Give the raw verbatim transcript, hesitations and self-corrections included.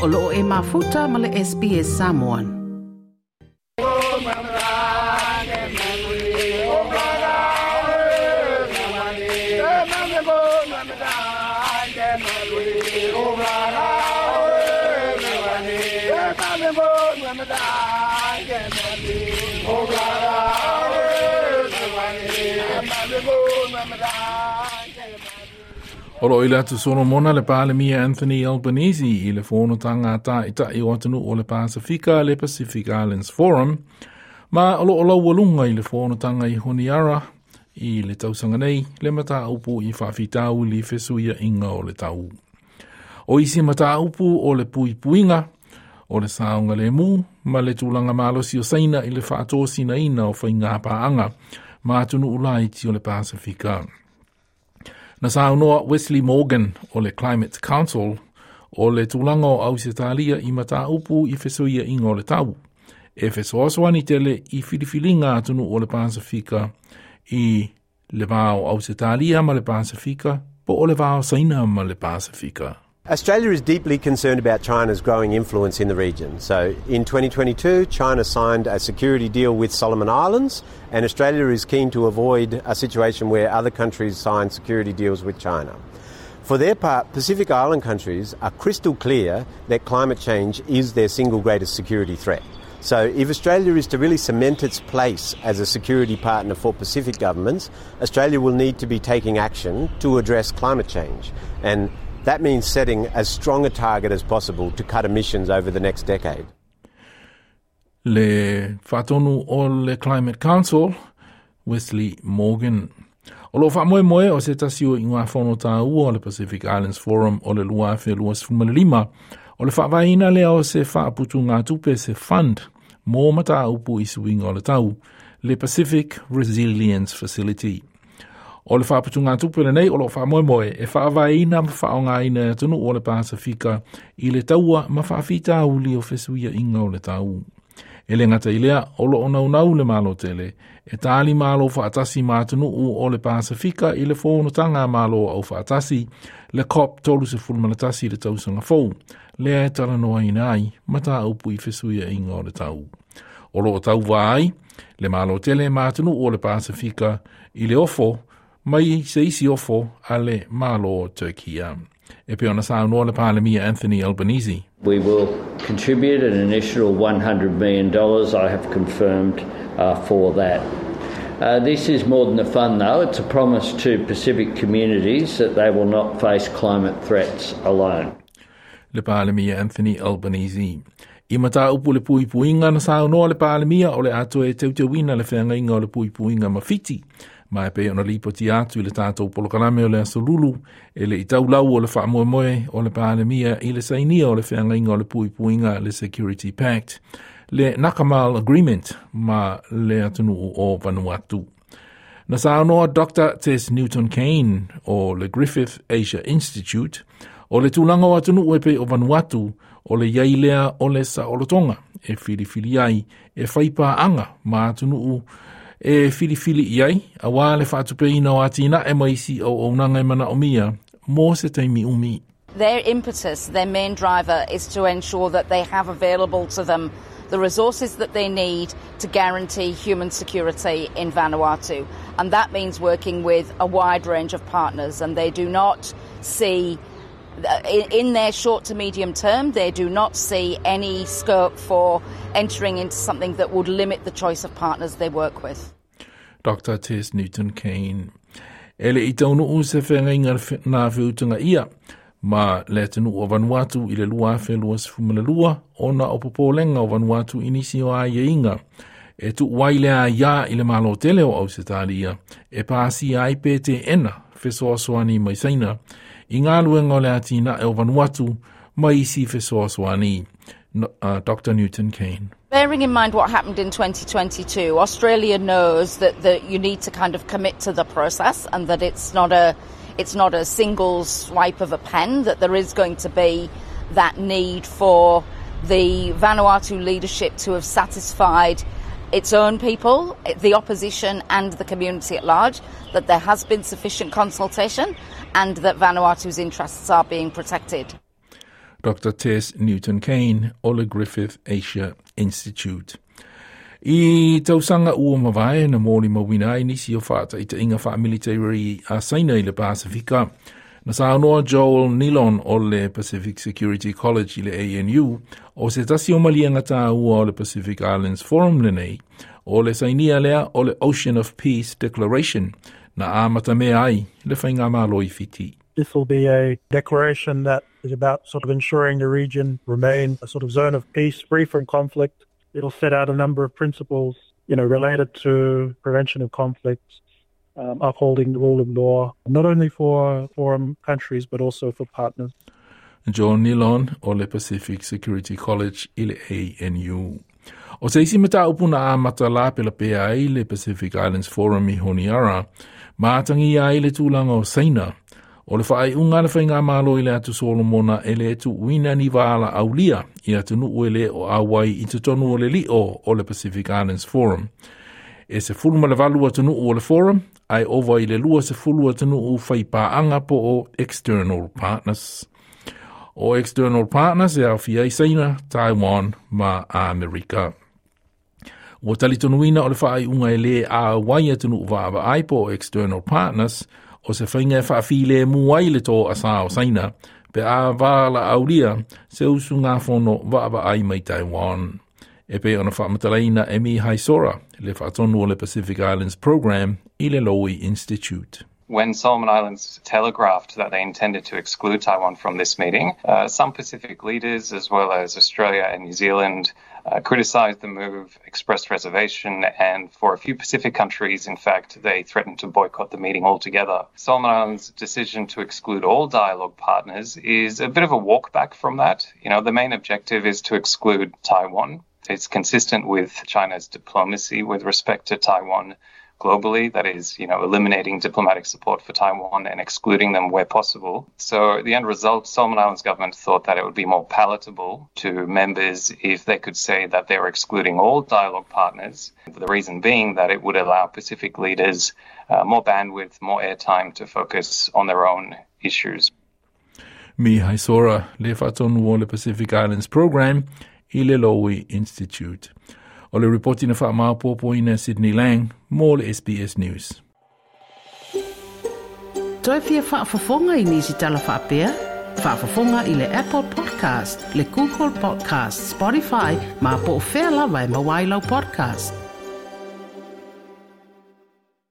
O loo e mafuta ma le S B S Samoan. O loo i le atu Solomona le Palemia Anthony Albanese i le fonotaga a taitai o atunuu o le Pasifika, le Pacific Islands Forum, ma o loo laualuga i le fonotaga i Honiara i le tausaga nei le mataupu i faafitauli fesuiaiga o le tau. O isi mataupu o le puipuiga o le saogalemu ma le tulaga malosi o Saina i le faatosinaina o faiga paaga ma atunuu laiti o le Pasifika. Na saunoa Wesley Morgan o le Climate Council o le tulaga o Ausetalia i mataupu i fesuiaiga o le tau e fesoasoani tele i filifiliga atunuu o le Pasifika i le va o Ausetalia ma le Pasifika po o le va o Saina ma le Pasifika. Australia is deeply concerned about China's growing influence in the region. So, in twenty twenty-two, China signed a security deal with Solomon Islands, and Australia is keen to avoid a situation where other countries sign security deals with China. For their part, Pacific Island countries are crystal clear that climate change is their single greatest security threat. So, if Australia is to really cement its place as a security partner for Pacific governments, Australia will need to be taking action to address climate change. And that means setting as strong a target as possible to cut emissions over the next decade. Le faatonu o le Climate Council, Wesley Morgan. O loo faamoemoe o se tasi o iugafono taua o le Pacific Islands Forum o le lua afe luasefulumalima o le faavaeina lea o se faaputugatupe, se fund mo mataupu i suiga o le tau, le Pacific Resilience Facility. O le faaputugatupe lenei o loo faamoemoe e faavaeina ma faaaogaina e atunuu o le Pasifika i le taua ma faafitauli o fesuiaiga o le tau. E le gata i lea, o loo naunau le Malo tele e tali malo faatasi ma atunuu o le Pasifika i le fonotaga Malo au faatasi, le COP trenta-et uno i le tausaga fou, lea e talanoaina ai mataupu i fesuiaiga o le tau. O loo tauva ai le Malo tele ma atunuu o le Pasifika i le ofo mai se isi ofo a le Malo o Turkia. E pei ona saunoa le Palemia Anthony Albanese. We will contribute an initial one hundred million dollars, I have confirmed uh, for that. Uh, this is more than a fund, though. It's a promise to Pacific communities that they will not face climate threats alone. Le Palemia Anthony Albanese. I mataupu le puipuiga, na saunoa le Palemia o le a toe teuteuina le feagaiga o le puipuiga ma Fiti. Ma e pei ona lipoti atu i le tatou polokalame o le Aso Lulu, e le i taulau o le faamoemoe o le Palemia i le sainia o le feagaiga o le puipuiga, le Security Pact, le Nakamal Agreement ma le atunuu o Vanuatu. Na saunoa Doctor Tess Newton Cain o le Griffith Asia Institute o le tulaga o atunuu e pei o Vanuatu o le iai lea o le saolotoga e filifili ai e faipaaga ma atunuu e filifili i ai auā le faatupeina o atinae ma isi auaunaga e manaomia mo se taimi umi. Their impetus, their main driver, is to ensure that they have available to them the resources that they need to guarantee human security in Vanuatu. And that means working with a wide range of partners. And they do not see, in their short to medium term, they do not see any scope for entering into something that would limit the choice of partners they work with. Doctor Tess Newton Cain. E le i taunuu se feagaiga na feutagaia ma le atunuu o Vanuatu i le lua afe lua lua ona o popolega o Vanuatu i nisi o aiaiga e tuu ai le aiā i le Malo tele o Ausetalia e pasia ai pe teena fesoasoani mai Saina i galuega o le atinae o Vanuatu ma isi fesoasoani. Uh, Doctor Newton Cain. Bearing in mind what happened in twenty twenty-two, Australia knows that, that you need to kind of commit to the process and that it's not a it's not a single swipe of a pen, that there is going to be that need for the Vanuatu leadership to have satisfied its own people, the opposition and the community at large, that there has been sufficient consultation and that Vanuatu's interests are being protected. Doctor Tess Newton Cain o le Griffith Asia Institute. I tausaga ua mavae na molimauina ai nisi o faataitaiga faamilitari a Saina i le Pasifika. Na saunoa Joel Nilon o le Pacific Security College i le A N U o se tasi o maliega taua o le Pacific Islands Forum lenei o le sainia lea o le Ocean of Peace Declaration na amatamea ai le faigamalo i Fiti. This will be a declaration that is about sort of ensuring the region remain a sort of zone of peace, free from conflict. It'll set out a number of principles, you know, related to prevention of conflicts, um, upholding the rule of law, not only for forum countries but also for partners. Joel Nilon o le Pacific Security College i le A N U. O se isi mataupu na amata lapelapea ai le Pacific Islands Forum i Honiara, ma atagia ai le tulaga o Saina, o le faaiuga le faigamalo i le atu Solomona e le tuuina ni valaaulia i atunuu e le o auai i totonu o le lio o le Pacific Islands Forum. E sefulu ma le valu atunuu o le forum, ae ova i le lua sefulu atunuu faipaanga po o external partners. O external partners e aofia ai Saina, Taiwan ma Amerika. Ua talitonuina o le faaiuga e le auai atunuu vaavaai po o external partners o se faiga e faafilemu ai le toasa o Saina pe a valaaulia se usugafono vaavaai mai Taiwan. E pei ona faamatalaina e Mihai Sora, le faatonu o le Pacific Islands Program i le Lowy Institute. When Solomon Islands telegraphed that they intended to exclude Taiwan from this meeting, uh, some Pacific leaders, as well as Australia and New Zealand, uh, criticized the move, expressed reservation, and for a few Pacific countries, in fact, they threatened to boycott the meeting altogether. Solomon Islands' decision to exclude all dialogue partners is a bit of a walk back from that. You know, the main objective is to exclude Taiwan. It's consistent with China's diplomacy with respect to Taiwan globally, that is, you know, eliminating diplomatic support for Taiwan and excluding them where possible. So the end result, Solomon Islands government thought that it would be more palatable to members if they could say that they were excluding all dialogue partners. The reason being that it would allow Pacific leaders uh, more bandwidth, more airtime to focus on their own issues. Mihai Sora, le faatonu o le Pacific Islands Program i le Lowy Institute. O le ripoti na faamaopoopoina Sydney Lang mo le S B S News. Toe fia faafofoga i nisi tala faapea? Faafofoga i le Apple Podcast, le Google Podcast, Spotify, ma po o fea lava e maua ai lau podcast.